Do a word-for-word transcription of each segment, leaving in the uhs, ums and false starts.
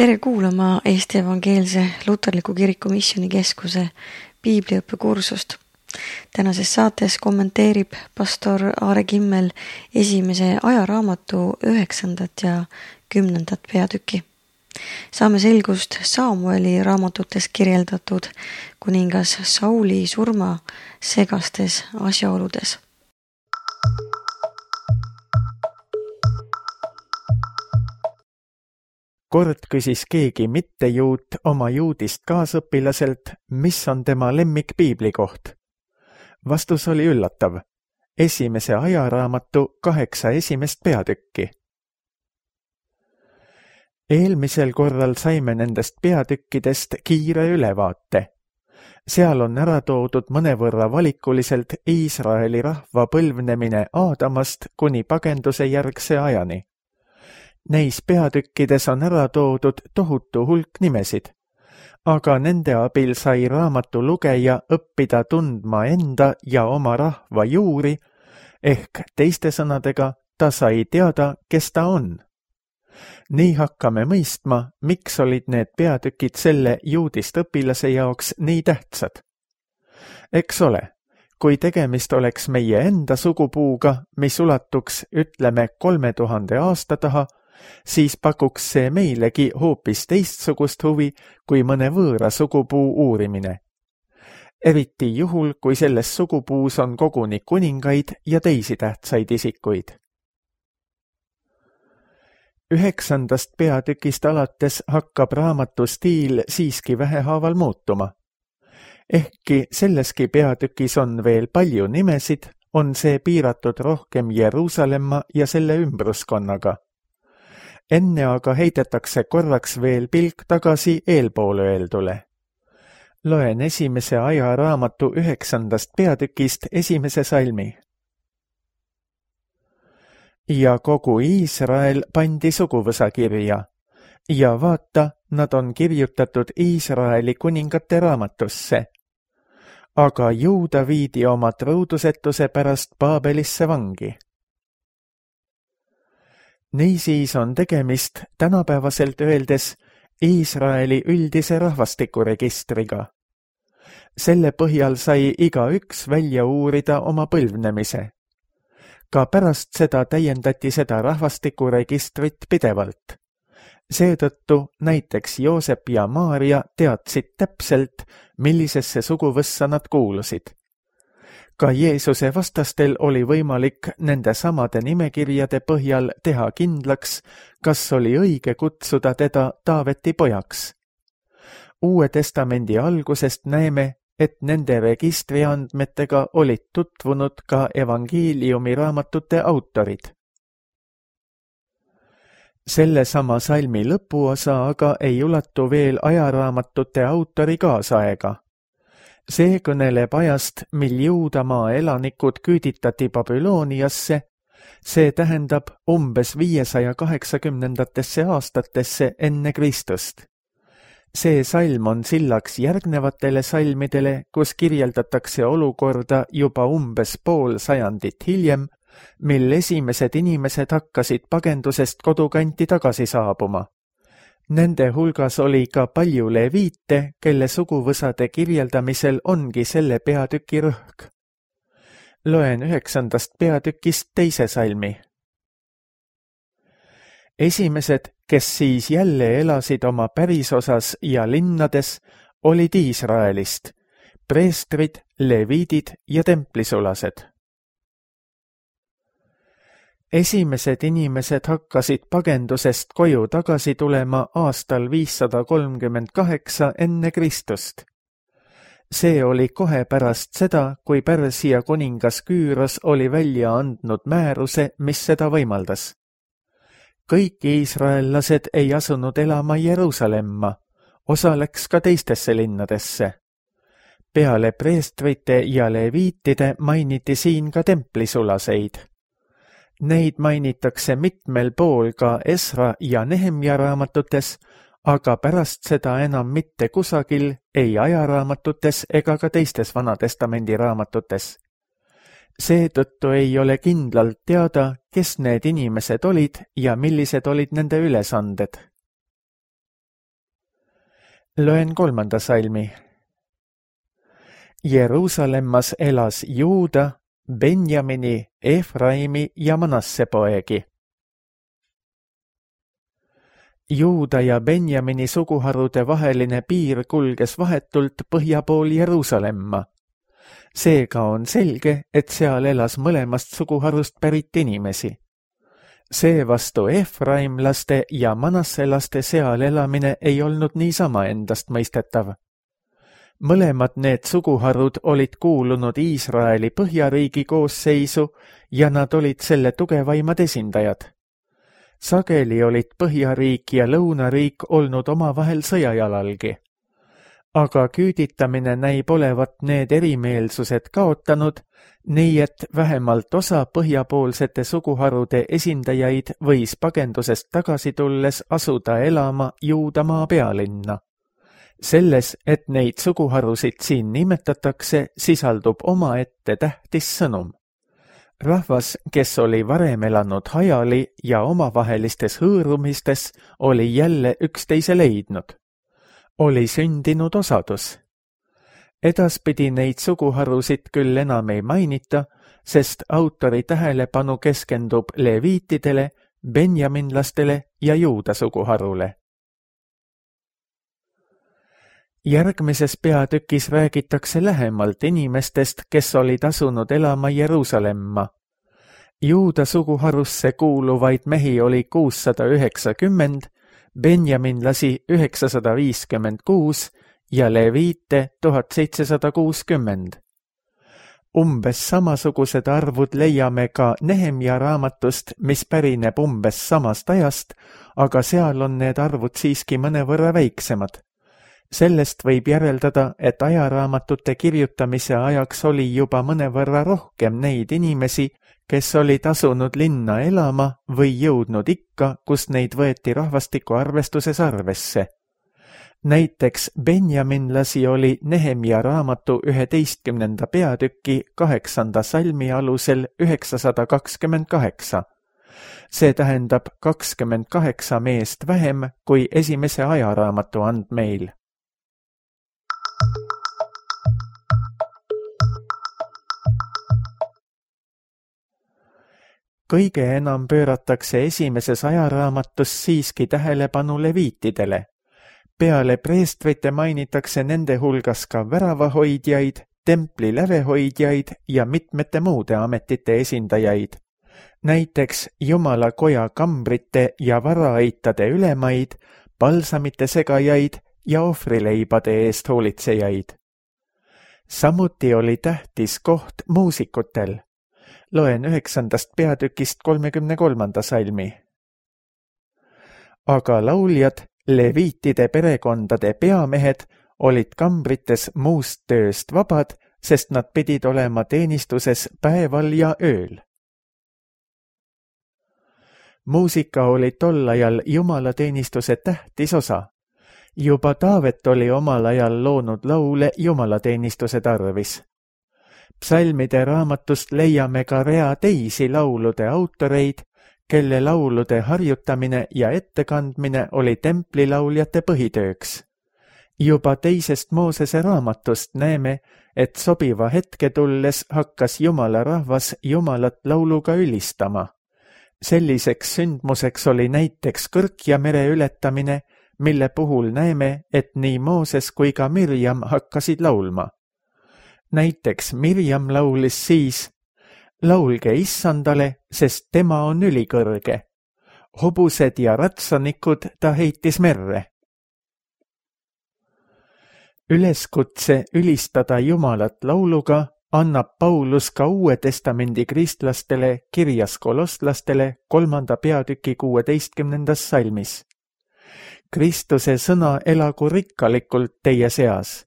Tere kuulama Eesti Evangeelse Luterliku Kiriku Missioonikeskuse piibliõppekursust. Tänases saates kommenteerib pastor Aare Kimmel esimese ajaraamatu üheksandat ja kümnendat peatükki. Saame selgust Samueli raamatutes kirjeldatud kuningas Sauli surma segastes asjaoludes. Kord küsis keegi mittejuut oma juudist kaasõpilaselt, mis on tema lemmik piiblikoht. Vastus oli üllatav. Esimese ajaraamatu kaheksa esimest peatükki. Eelmisel korral saime nendest peatükkidest kiire ülevaate. Seal on ära toodud mõnevõrra valikuliselt Iisraeli rahva põlvnemine Aadamast kuni pagenduse järgse ajani. Neis peatükkides on ära toodud tohutu hulk nimesid, aga nende abil sai raamatu lugeja õppida tundma enda ja oma rahva juuri, ehk teiste sõnadega ta sai teada, kes ta on. Nii hakkame mõistma, miks olid need peatükid selle juudist õpilase jaoks nii tähtsad. Eks ole, kui tegemist oleks meie enda sugupuuga, mis ulatuks, ütleme, kolme tuhande aasta taha, siis pakuks see meilegi hoopis teistsugust huvi kui mõne võõra sugupuu uurimine. Eriti juhul, kui selles sugupuus on koguni kuningaid ja teisi tähtsaid isikuid. Üheksandast peatükist alates hakkab raamatu stiil siiski vähehaaval muutuma. Ehkki selleski peatükis on veel palju nimesid, on see piiratud rohkem Jeruusalemma ja selle ümbruskonnaga. Enne aga heidetakse korraks veel pilk tagasi eelpoole öeldule. Loen esimese ajaraamatu üheksandast peatükist esimese salmi. Ja kogu Iisrael pandi suguvõsa kirja, ja vaata, nad on kirjutatud Iisraeli kuningate raamatusse. Aga Juuda viidi oma truudusetuse pärast Baabelisse vangi. Niisiis on tegemist tänapäevaselt öeldes Iisraeli üldise rahvastikuregistriga. Selle põhjal sai igaüks välja uurida oma põlvnemise. Ka pärast seda täiendati seda rahvastikuregistrit pidevalt. Seetõttu näiteks Joosep ja Maaria teadsid täpselt, millisesse suguvõssa nad kuulusid. Ka Jeesuse vastastel oli võimalik nende samade nimekirjade põhjal teha kindlaks, kas oli õige kutsuda teda Taaveti pojaks. Uue testamendi algusest näeme, et nende registriandmetega olid tutvunud ka evangeeliumi raamatute autorid. Selle sama salmi lõpuosa aga ei ulatu veel ajaraamatute autori kaasaega. See kõneleb ajast, mil Juudamaa elanikud küüditati Babyloniasse, see tähendab umbes viiesaja kaheksakümnendatesse aastatesse enne Kristust. See salm on sillaks järgnevatele salmidele, kus kirjeldatakse olukorda juba umbes pool sajandit hiljem, mil esimesed inimesed hakkasid pagendusest kodukanti tagasi saabuma. Nende hulgas oli ka palju leviite, kelle suguvõsade kirjeldamisel ongi selle peatüki rõhk. Loen üheksandast peatükist teise salmi. Esimesed, kes siis jälle elasid oma pärisosas ja linnades, olid Iisraelist, preestrid, leviidid ja templisulased. Esimesed inimesed hakkasid pagendusest koju tagasi tulema aastal viissada kolmkümmend kaheksa enne Kristust. See oli kohe pärast seda, kui Pärsia kuningas Küüros oli välja andnud määruse, mis seda võimaldas. Kõik iisraellased ei asunud elama Jeruusalemma, osa läks ka teistesse linnadesse. Peale preestrite ja leviitide mainiti siin ka templisulaseid. Neid mainitakse mitmel pool ka Esra ja Nehemja raamatutes, aga pärast seda enam mitte kusagil, ei ajaraamatutes ega ka teistes Vanatestamendi raamatutes. Seetõttu ei ole kindlalt teada, kes need inimesed olid ja millised olid nende ülesanded. Loen kolmanda salmi. Jeruusalemmas elas Juuda, Benjamini, Efraimi ja Manasse poegi. Juuda ja Benjamini suguharude vaheline piir kulges vahetult põhja pool Jeruusalemma. Seega on selge, et seal elas mõlemast suguharust pärit inimesi. Seevastu Efraimlaste ja Manasselaste seal elamine ei olnud niisama endast mõistetav. Mõlemad need suguharud olid kuulunud Iisraeli põhjariigi koosseisu ja nad olid selle tugevaimad esindajad. Sageli olid põhjariik ja lõunariik olnud omavahel sõjajalalgi. Aga küüditamine näib olevat need erimeelsused kaotanud, nii et vähemalt osa põhjapoolsete suguharude esindajaid võis pagendusest tagasi tulles asuda elama Juudamaa pealinna. Selles, et neid suguharusid siin nimetatakse, sisaldub omaette tähtis sõnum. Rahvas, kes oli varem elanud hajali ja omavahelistes hõõrumistes, oli jälle üksteise leidnud. Oli sündinud osadus. Edaspidi neid suguharusid küll enam ei mainita, sest autori tähelepanu keskendub leviitidele, benjaminlastele ja Juuda suguharule. Järgmises peatükis räägitakse lähemalt inimestest, kes olid asunud elama Jeruusalemma. Juuda suguharusse kuuluvaid mehi oli kuussada üheksakümmend, benjaminlasi üheksasada viiskümmend kuus ja leviite tuhat seitsesada kuuskümmend. Umbes samasugused arvud leiame ka Nehemja raamatust, mis pärineb umbes samast ajast, aga seal on need arvud siiski mõnevõrra väiksemad. Sellest võib järeldada, et ajaraamatute kirjutamise ajaks oli juba mõnevõrra rohkem neid inimesi, kes olid asunud linna elama või jõudnud ikka, kus neid võeti rahvastiku arvestuses arvesse. Näiteks benjaminlasi oli Nehemja raamatu üheteistkümnenda peatüki kaheksanda salmi alusel üheksasada kakskümmend kaheksa. See tähendab kakskümmend kaheksa meest vähem kui esimese ajaraamatu andmeil. Kõige enam pööratakse esimeses ajaraamatus siiski tähelepanu leviitidele. Peale preestrite mainitakse nende hulgas ka väravahoidjaid, templi lävehoidjaid ja mitmete muude ametite esindajaid. Näiteks Jumala koja kambrite ja varaaitade ülemaid, palsamite segajaid ja ohvrileibade eest hoolitsejaid. Samuti oli tähtis koht muusikutel. Loen üheksandast peatükist kolmekümne kolmanda salmi. Aga lauljad, leviitide perekondade peamehed, olid kambrites muust tööst vabad, sest nad pidid olema teenistuses päeval ja ööl. Muusika oli tol ajal jumalateenistuse tähtis osa. Juba Taavet oli omal ajal loonud laule jumalateenistuse tarvis. Psalmide raamatust leiame ka rea teisi laulude autoreid, kelle laulude harjutamine ja ettekandmine oli templilauljate põhitööks. Juba teisest Moosese raamatust näeme, et sobiva hetke tulles hakkas Jumala rahvas Jumalat lauluga ülistama. Selliseks sündmuseks oli näiteks Kõrkja mere ületamine, mille puhul näeme, et nii Mooses kui ka Mirjam hakkasid laulma. Näiteks Mirjam laulis siis: laulge issandale, sest tema on ülikõrge. Hobused ja ratsanikud ta heitis merre. Üleskutse ülistada Jumalat lauluga annab Paulus ka Uue Testamendi kristlastele kirjas kolosslastele kolmanda peatüki kuueteistkümnendas salmis. Kristuse sõna elagu rikkalikult teie seas.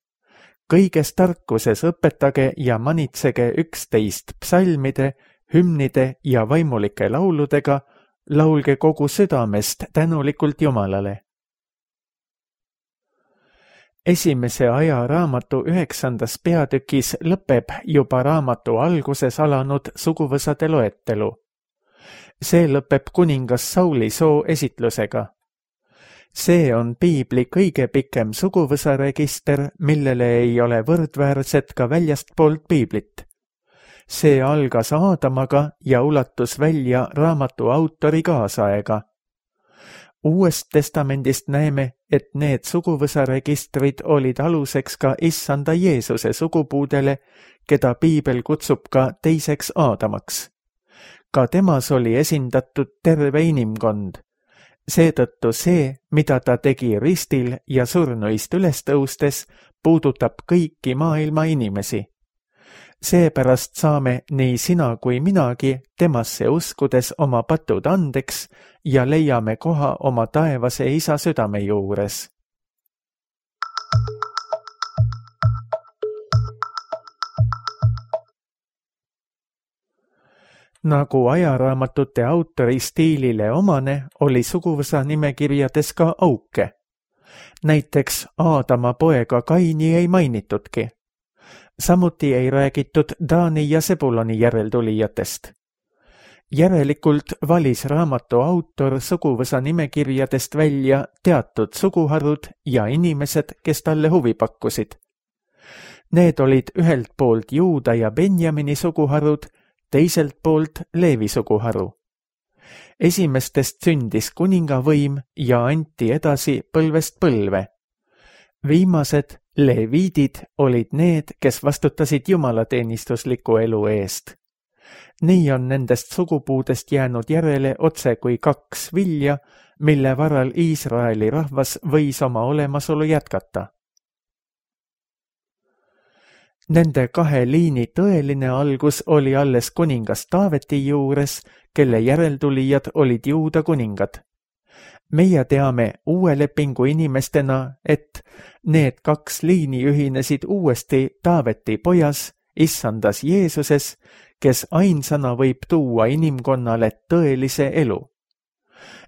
Kõiges tarkuses õpetage ja manitsege üksteist psalmide, hümnide ja vaimulike lauludega, laulge kogu südamest tänulikult Jumalale. Esimese aja raamatu üheksandas peatükis lõpeb juba raamatu alguses alanud suguvõsade loetelu. See lõpeb kuningas Sauli soo esitlusega. See on piibli kõige pikem suguvõsaregister, millele ei ole võrdväärset ka väljastpoolt piiblit. See algas Aadamaga ja ulatus välja raamatu autori kaasaega. Uuest testamendist näeme, et need suguvõsaregistrid olid aluseks ka issanda Jeesuse sugupuudele, keda piibel kutsub ka teiseks Aadamaks. Ka temas oli esindatud terve inimkond. Seetõttu see, mida ta tegi ristil ja surnuist üles tõustes, puudutab kõiki maailma inimesi. Seepärast saame nii sina kui minagi temasse uskudes oma patud andeks ja leiame koha oma taevase isa südame juures. Nagu ajaraamatute autori stiilile omane, oli suguvõsa nimekirjades ka auke. Näiteks Aadama poega Kaini ei mainitudki. Samuti ei räägitud Daani ja Sebuloni järeltulijatest. Järelikult valis raamatu autor suguvõsa nimekirjadest välja teatud suguharud ja inimesed, kes talle huvi pakkusid. Need olid ühelt poolt Juuda ja Benjamini suguharud, teiselt poolt Leevi suguharu. Esimestest sündis kuningavõim ja anti edasi põlvest põlve. Viimased, leviidid, olid need, kes vastutasid jumalateenistusliku elu eest. Nii on nendest sugupuudest jäänud järele otse kui kaks vilja, mille varal Iisraeli rahvas võis oma olemasolu jätkata. Nende kahe liini tõeline algus oli alles kuningas Taaveti juures, kelle järeltulijad olid Juuda kuningad. Meie teame uue lepingu inimestena, et need kaks liini ühinesid uuesti Taaveti pojas, issandas Jeesuses, kes ainsana võib tuua inimkonnale tõelise elu.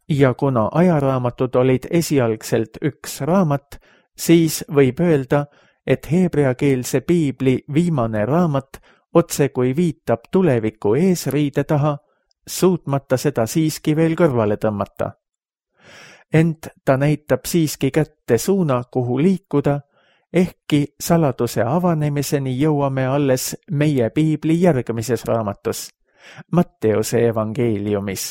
Ja kuna ajaraamatud olid esialgselt üks raamat, siis võib öelda, et heebreakeelse piibli viimane raamat otse kui viitab tuleviku eesriide taha, suutmata seda siiski veel kõrvale tõmmata. Ent ta näitab siiski kätte suuna, kuhu liikuda, ehkki saladuse avanemiseni jõuame alles meie piibli järgmises raamatus, Matteuse evangeeliumis.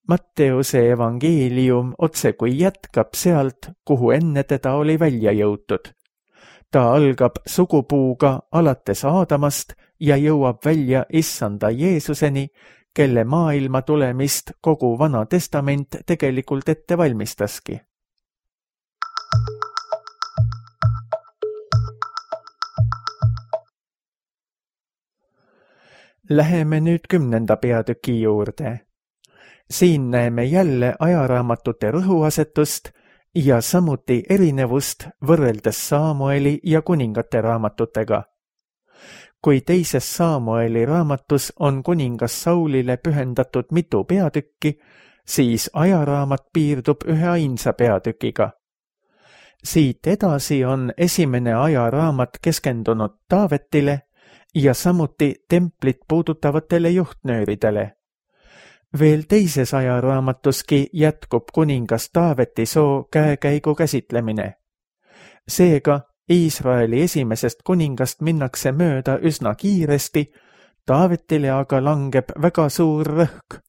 Matteuse evangeelium otse kui jätkab sealt, kuhu enne teda oli välja jõutud. Ta algab sugupuuga alates Aadamast ja jõuab välja issanda Jeesuseni, kelle maailma tulemist kogu Vana Testament tegelikult ette valmistaski. Läheme nüüd kümnenda peatüki juurde. Siin näeme jälle ajaraamatute rõhuasetust ja samuti erinevust võrreldes Saamueli ja kuningate raamatutega. Kui teises Saamueli raamatus on kuningas Saulile pühendatud mitu peatükki, siis ajaraamat piirdub ühe ainsa peatükiga. Siit edasi on esimene ajaraamat keskendunud Taavetile ja samuti templit puudutavatele juhtnööridele. Veel teises ajaraamatuski jätkub kuningas Taaveti soo käekäigu käsitlemine. Seega Iisraeli esimesest kuningast minnakse mööda üsna kiiresti, Taavetile aga langeb väga suur rõhk.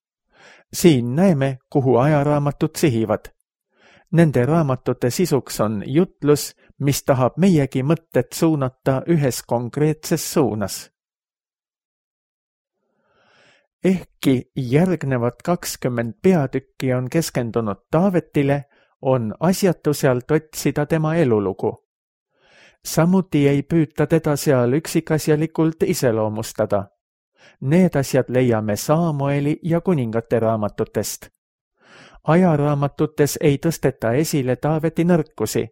Siin näeme, kuhu ajaraamatud sihivad. Nende raamatute sisuks on jutlus, mis tahab meiegi mõtted suunata ühes konkreetses suunas. Ehkki järgnevad kakskümmend peatükki on keskendunud Taavetile, on asjatu sealt otsida tema elulugu. Samuti ei püüta teda seal üksikasjalikult iseloomustada. Need asjad leiame Saamueli ja kuningate raamatutest. Ajaraamatutes ei tõsteta esile Taaveti nõrkusi.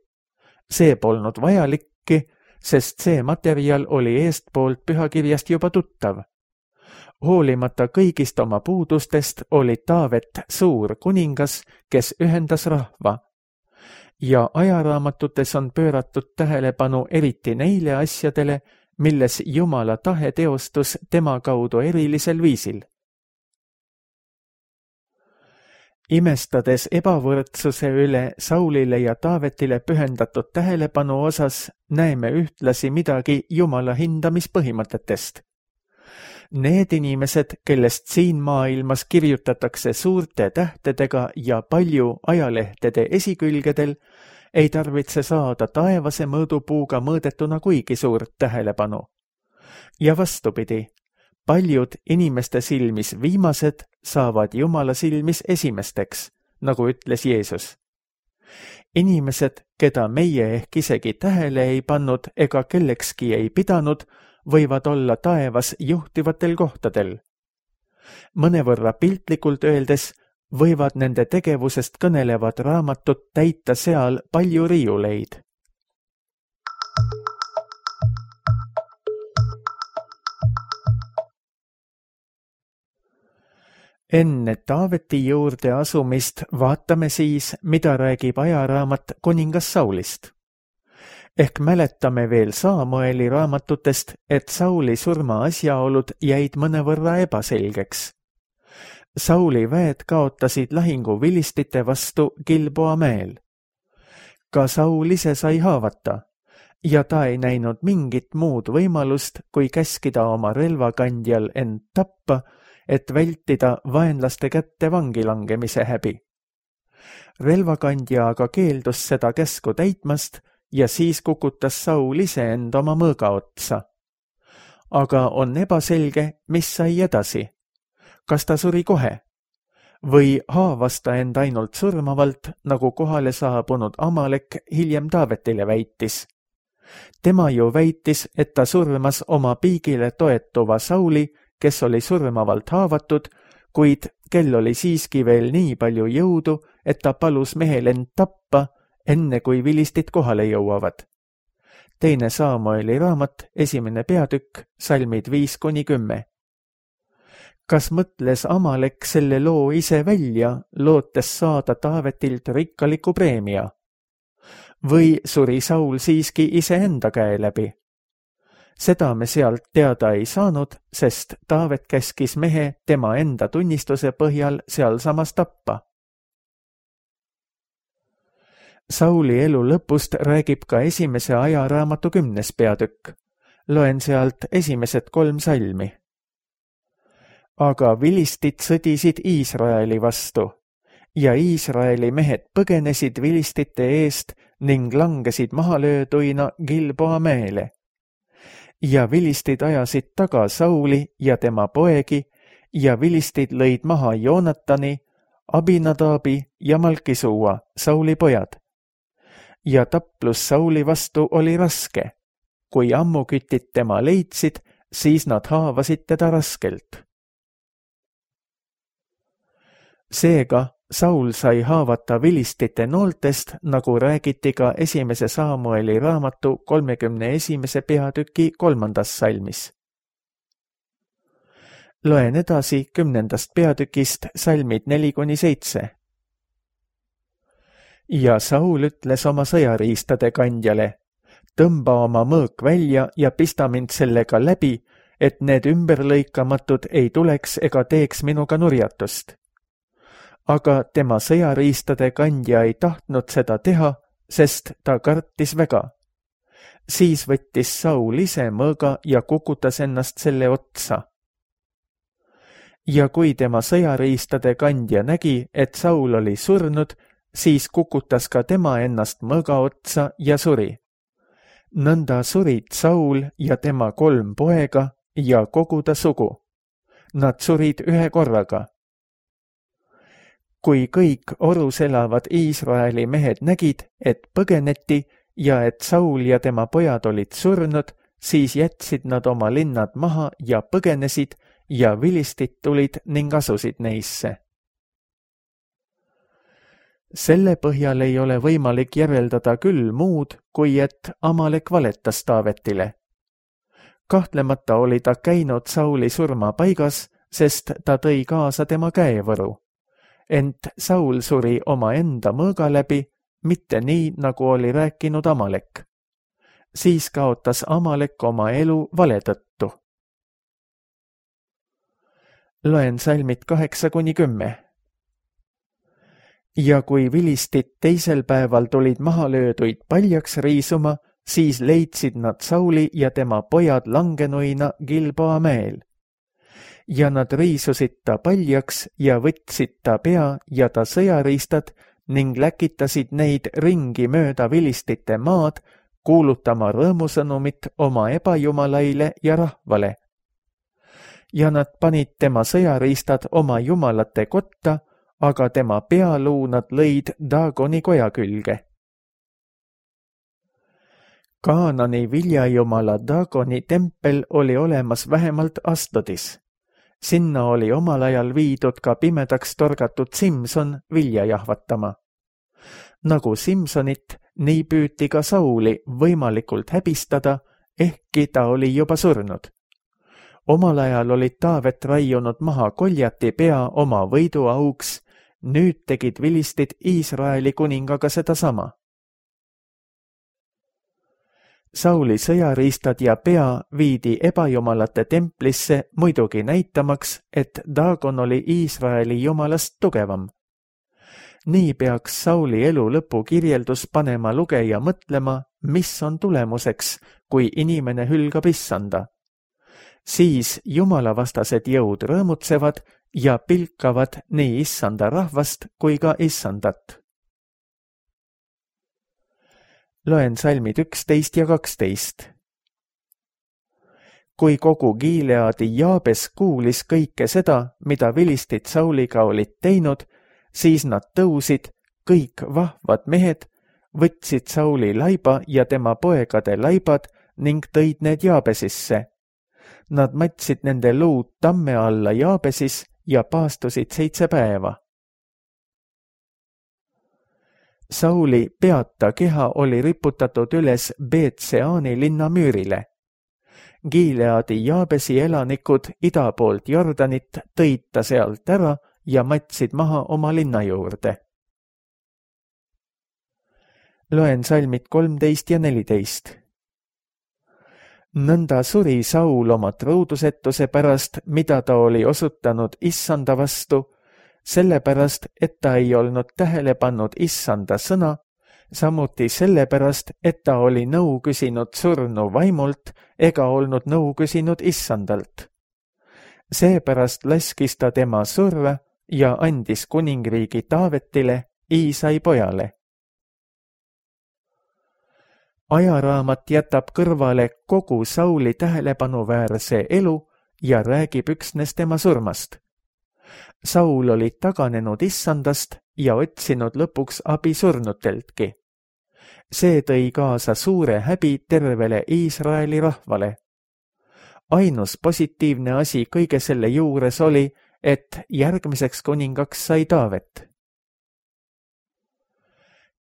See polnud vajalikki, sest see materjal oli eestpoolt pühakirjast juba tuttav. Hoolimata kõigist oma puudustest oli Taavet suur kuningas, kes ühendas rahva. Ja ajaraamatutes on pööratud tähelepanu eriti neile asjadele, milles Jumala tahe teostus tema kaudu erilisel viisil. Imestades ebavõrdsuse üle Saulile ja Taavetile pühendatud tähelepanu osas, näeme ühtlasi midagi Jumala hindamispõhimõtetest. Need inimesed, kellest siin maailmas kirjutatakse suurte tähtedega ja palju ajalehtede esikülgedel, ei tarvitse saada taevase mõõdupuuga mõõdetuna kuigi suurt tähelepanu. Ja vastupidi, paljud inimeste silmis viimased saavad Jumala silmis esimesteks, nagu ütles Jeesus. Inimesed, keda meie ehk isegi tähele ei pannud ega kellekski ei pidanud, võivad olla taevas juhtivatel kohtadel. Mõnevõrra piltlikult öeldes võivad nende tegevusest kõnelevad raamatud täita seal palju riiuleid. Enne Taaveti juurde asumist vaatame siis, mida räägib ajaraamat kuningas Saulist. Ehk mäletame veel Saamueli raamatutest, et Sauli surma asjaolud jäid mõnevõrra ebaselgeks. Sauli väed kaotasid lahingu vilistite vastu Gilboa mäel. Ka Saul ise sai haavata ja ta ei näinud mingit muud võimalust, kui käskida oma relvakandjal end tappa, et vältida vaenlaste kätte vangi langemise häbi. Relvakandja aga keeldus seda käsku täitmast ja siis kukutas Saul ise end oma mõõga otsa. Aga on ebaselge, mis sai edasi. Kas ta suri kohe? Või haavas ta end ainult surmavalt, nagu kohale saabunud Amalek hiljem Taavetile väitis? Tema ju väitis, et ta surmas oma piigile toetuva Sauli, kes oli surmavalt haavatud, kuid kel oli siiski veel nii palju jõudu, et ta palus mehel end tappa, enne kui vilistid kohale jõuavad. Teine Saamueli raamat, esimene peatükk, salmid viis kuni kümme. Kas mõtles Amalek selle loo ise välja, lootes saada Taavetilt rikkaliku preemia? Või suri Saul siiski iseenda käe läbi? Seda me sealt teada ei saanud, sest Taavet käskis mehe tema enda tunnistuse põhjal sealsamas tappa. Sauli elu lõpust räägib ka esimese ajaraamatu kümnes peatükk. Loen sealt esimesed kolm salmi. Aga vilistid sõdisid Iisraeli vastu ja Iisraeli mehed põgenesid vilistite eest ning langesid mahalööduina Gilboa mäele. Ja vilistid ajasid taga Sauli ja tema poegi ja vilistid lõid maha Joonatani, Abinadabi ja Malkisuua, Sauli pojad. Ja taplus Sauli vastu oli raske. Kui ammukütid tema leidsid, siis nad haavasid teda raskelt. Seega Saul sai haavata vilistite nooltest, nagu räägiti ka esimese Saamueli raamatu kolmekümne esimese peatüki kolmandas salmis. Loen edasi kümnendast peatükist salmid neli kuni seitse. Ja Saul ütles oma sõjariistade kandjale, tõmba oma mõõk välja ja pista mind sellega läbi, et need ümberlõikamatud ei tuleks ega teeks minuga nurjatust. Aga tema sõjariistade kandja ei tahtnud seda teha, sest ta kartis väga. Siis võttis Saul ise mõõga ja kukutas ennast selle otsa. Ja kui tema sõjariistade kandja nägi, et Saul oli surnud, siis kukutas ka tema ennast mõõga otsa ja suri. Nõnda surid Saul ja tema kolm poega ja kogu ta sugu. Nad surid ühe korraga. Kui kõik orus elavad Iisraeli mehed nägid, et põgeneti ja et Saul ja tema pojad olid surnud, siis jätsid nad oma linnad maha ja põgenesid ja vilistid tulid ning asusid neisse. Selle põhjal ei ole võimalik järeldada küll muud, kui et Amalek valetas Taavetile. Kahtlemata oli ta käinud Sauli surma paigas, sest ta tõi kaasa tema käevõru. Ent Saul suri oma enda mõõga läbi, mitte nii, nagu oli rääkinud Amalek. Siis kaotas Amalek oma elu vale tõttu. Loen salmid kaheksa kuni kümme. ja kui vilistid teisel päeval tulid maha lööduid paljaks riisuma, siis leidsid nad Sauli ja tema pojad langenuina Gilboa mäel. Ja nad riisusid ta paljaks ja võtsid ta pea ja ta sõjariistad ning läkitasid neid ringi mööda vilistite maad, kuulutama rõõmusõnumit oma ebajumalaile ja rahvale. Ja nad panid tema sõjariistad oma jumalate kotta, aga tema pealuu nad lõid Daagoni koja külge. Kaanani viljajumala Daagoni tempel oli olemas vähemalt Astodis. Sinna oli omal ajal viidud ka pimedaks torgatud Simson vilja jahvatama. Nagu Simsonit, nii püüti ka Sauli võimalikult häbistada, ehkki ta oli juba surnud. Omal ajal olid Taavet raiunud maha Koljati pea oma võiduauks, nüüd tegid vilistid Iisraeli kuningaga sedasama. Sauli sõjariistad ja pea viidi ebajumalate templisse muidugi näitamaks, et Daagon oli Iisraeli jumalast tugevam. Nii peaks Sauli elu lõpu kirjeldus panema lugeja mõtlema, mis on tulemuseks, kui inimene hülgab issanda. Siis jumalavastased jõud rõõmutsevad ja pilkavad nii issanda rahvast kui ka issandat. Loen salmid üksteist ja kaksteist. Kui kogu Gileadi Jaabes kuulis kõike seda, mida vilistid Sauliga olid teinud, siis nad tõusid, kõik vahvad mehed, võtsid Sauli laiba ja tema poegade laibad ning tõid need Jaabesisse. Nad matsid nende luud tamme alla Jaabesis ja paastusid seitse päeva. Sauli peata keha oli riputatud üles Beetseani linna müürile. Gileadi Jaabesi elanikud ida poolt Jordanit tõid ta sealt ära ja matsid maha oma linna juurde. Loen salmid kolmteist ja neliteist. Nõnda suri Saul oma truudusetuse pärast, mida ta oli osutanud issanda vastu, sellepärast, et ta ei olnud tähele pannud issanda sõna, samuti sellepärast, et ta oli nõu küsinud surnu vaimult ega olnud nõu küsinud issandalt. Seepärast laskis ta tema surra ja andis kuningriigi Taavetile, Iisai pojale. Ajaraamat jätab kõrvale kogu Sauli tähelepanuväärse elu ja räägib üksnes tema surmast. Saul oli taganenud issandast ja otsinud lõpuks abi surnuteltki. See tõi kaasa suure häbi tervele Iisraeli rahvale. Ainus positiivne asi kõige selle juures oli, et järgmiseks kuningaks sai Taavet.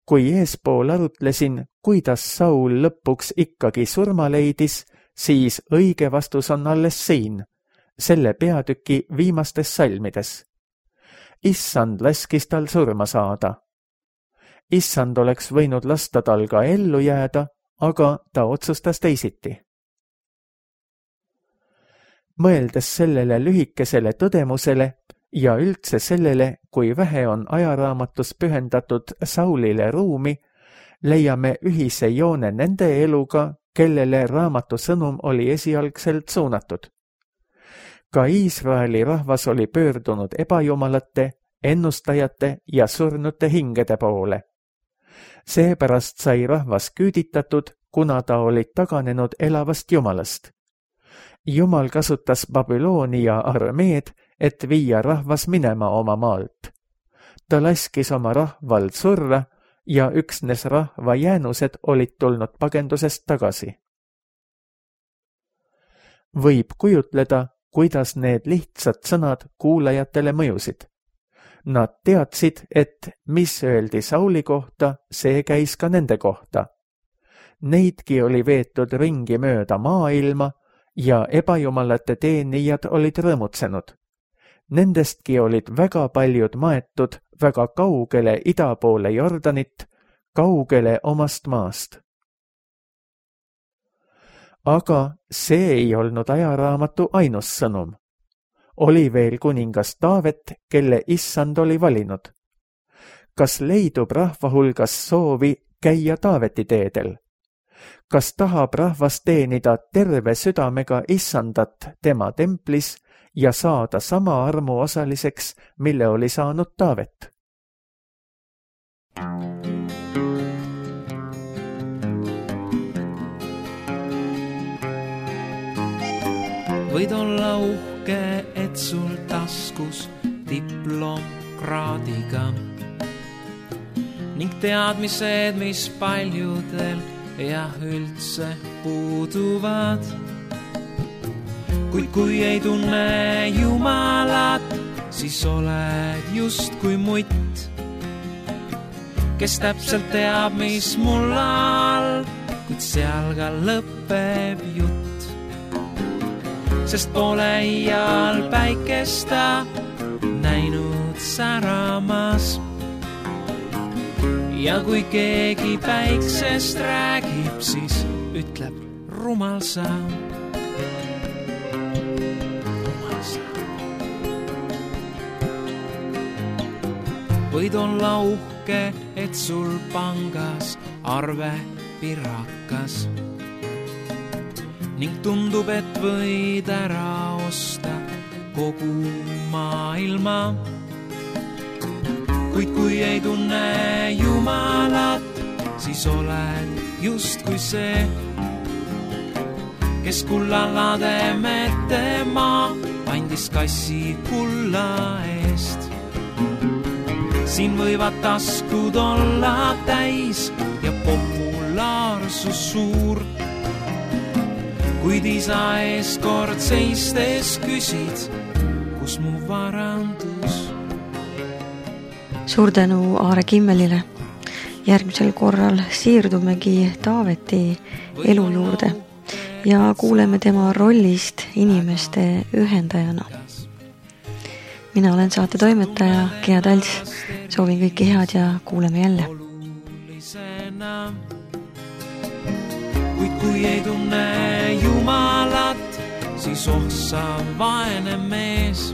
Kui eespool arutlesin, kuidas Saul lõpuks ikkagi surma leidis, siis õige vastus on alles siin, selle peatüki viimastes salmides. Issand laskis tal surma saada. Issand oleks võinud lasta tal ka ellu jääda, aga ta otsustas teisiti. Mõeldes sellele lühikesele tõdemusele ja üldse sellele, kui vähe on ajaraamatus pühendatud Saulile ruumi, leiame ühise joone nende eluga, kellele raamatu sõnum oli esialgselt suunatud. Ka Iisraeli rahvas oli pöördunud ebajumalate, ennustajate ja surnute hingede poole. Seepärast sai rahvas küüditatud, kuna ta oli taganenud elavast jumalast. Jumal kasutas Babyloonia armeed, et viia rahvas minema oma maalt. Ta laskis oma rahval surra ja üksnes rahva jäänused olid tulnud pagendusest tagasi. Võib kujutleda, kuidas need lihtsad sõnad kuulajatele mõjusid. Nad teadsid, et mis öeldi Sauli kohta, see käis ka nende kohta. Neidki oli veetud ringi mööda maailma ja ebajumalate teenijad olid rõõmutsenud. Nendestki olid väga paljud maetud väga kaugele ida poole Jordanit, kaugele omast maast. Aga see ei olnud ajaraamatu ainus sõnum. Oli veel kuningas Taavet, kelle issand oli valinud. Kas leidub rahva hulgas soovi käia Taaveti teedel? Kas tahab rahvas teenida terve südamega issandat tema templis ja saada sama armu osaliseks, mille oli saanud Taavet? Võid olla uhke, et sul taskus diplom kraadiga ning teadmised, mis paljudel ja üldse puuduvad. Kuid kui ei tunne Jumalat, siis oled just kui mutt, kes täpselt teab, mis mul all, kuid seal ka lõpeb jutt. Sest pole iial päikesta näinud säramas. Ja kui keegi päiksest räägib, siis ütleb rumal sa. Rumal sa. Võid olla uhke, et sul pangas arve pirakas ning tundub, et võid ära osta kogu maailma. Kuid kui ei tunne Jumalat, siis oled just kui see, kes kullalade metema andis kassi kulla eest. Siin võivad taskud olla täis ja populaarsus suur, kuid isa ees kord seistes küsid, kus mu varandus. Suur tänu Aare Kimmelile. Järgmisel korral siirdumegi Taaveti elu juurde ja kuuleme tema rollist inimeste ühendajana. Mina olen saate toimetaja Gea Tals. Soovin kõike head ja kuuleme jälle. Kuid kui ei tunne Jumalat, siis ohsa vaene mees.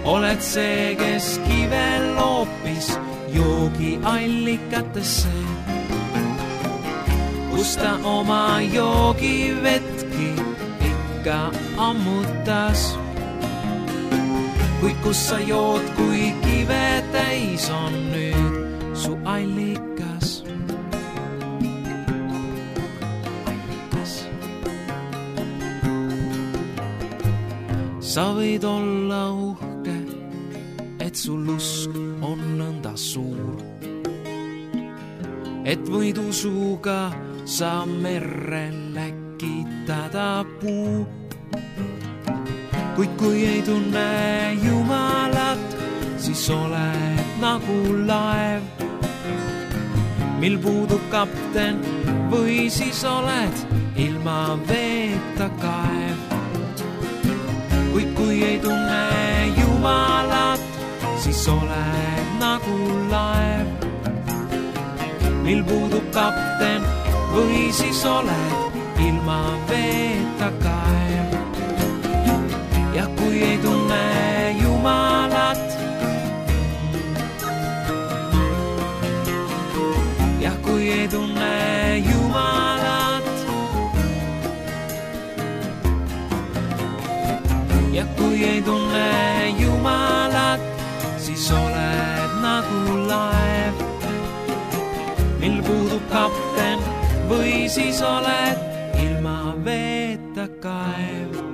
Oled see, kes kive loopis joogi allikatesse, kus ta oma joogi vetki ikka ammutas. Kuid kus sa jood, kui kive täis on nüüd su allikas? Sa võid olla uhke, et sul usk on nõnda suur, et võid usuga sa merre läkitada puu. Kuid kui ei tunne Jumalat, siis oled nagu laev, mil puudub kapten, või siis oled ilma veeta kaev. Kuid kui ei tunne Jumalat, siis oled nagu laev, mil puudub kapten, või siis oled ilma veeta kaev. Ja kui ei tunne Jumalat, ja kui ei tunne Jumalat, ja kui ei tunne Jumalat, siis oled nagu laev, mil puudub kapten, või siis oled ilma veeta kaev.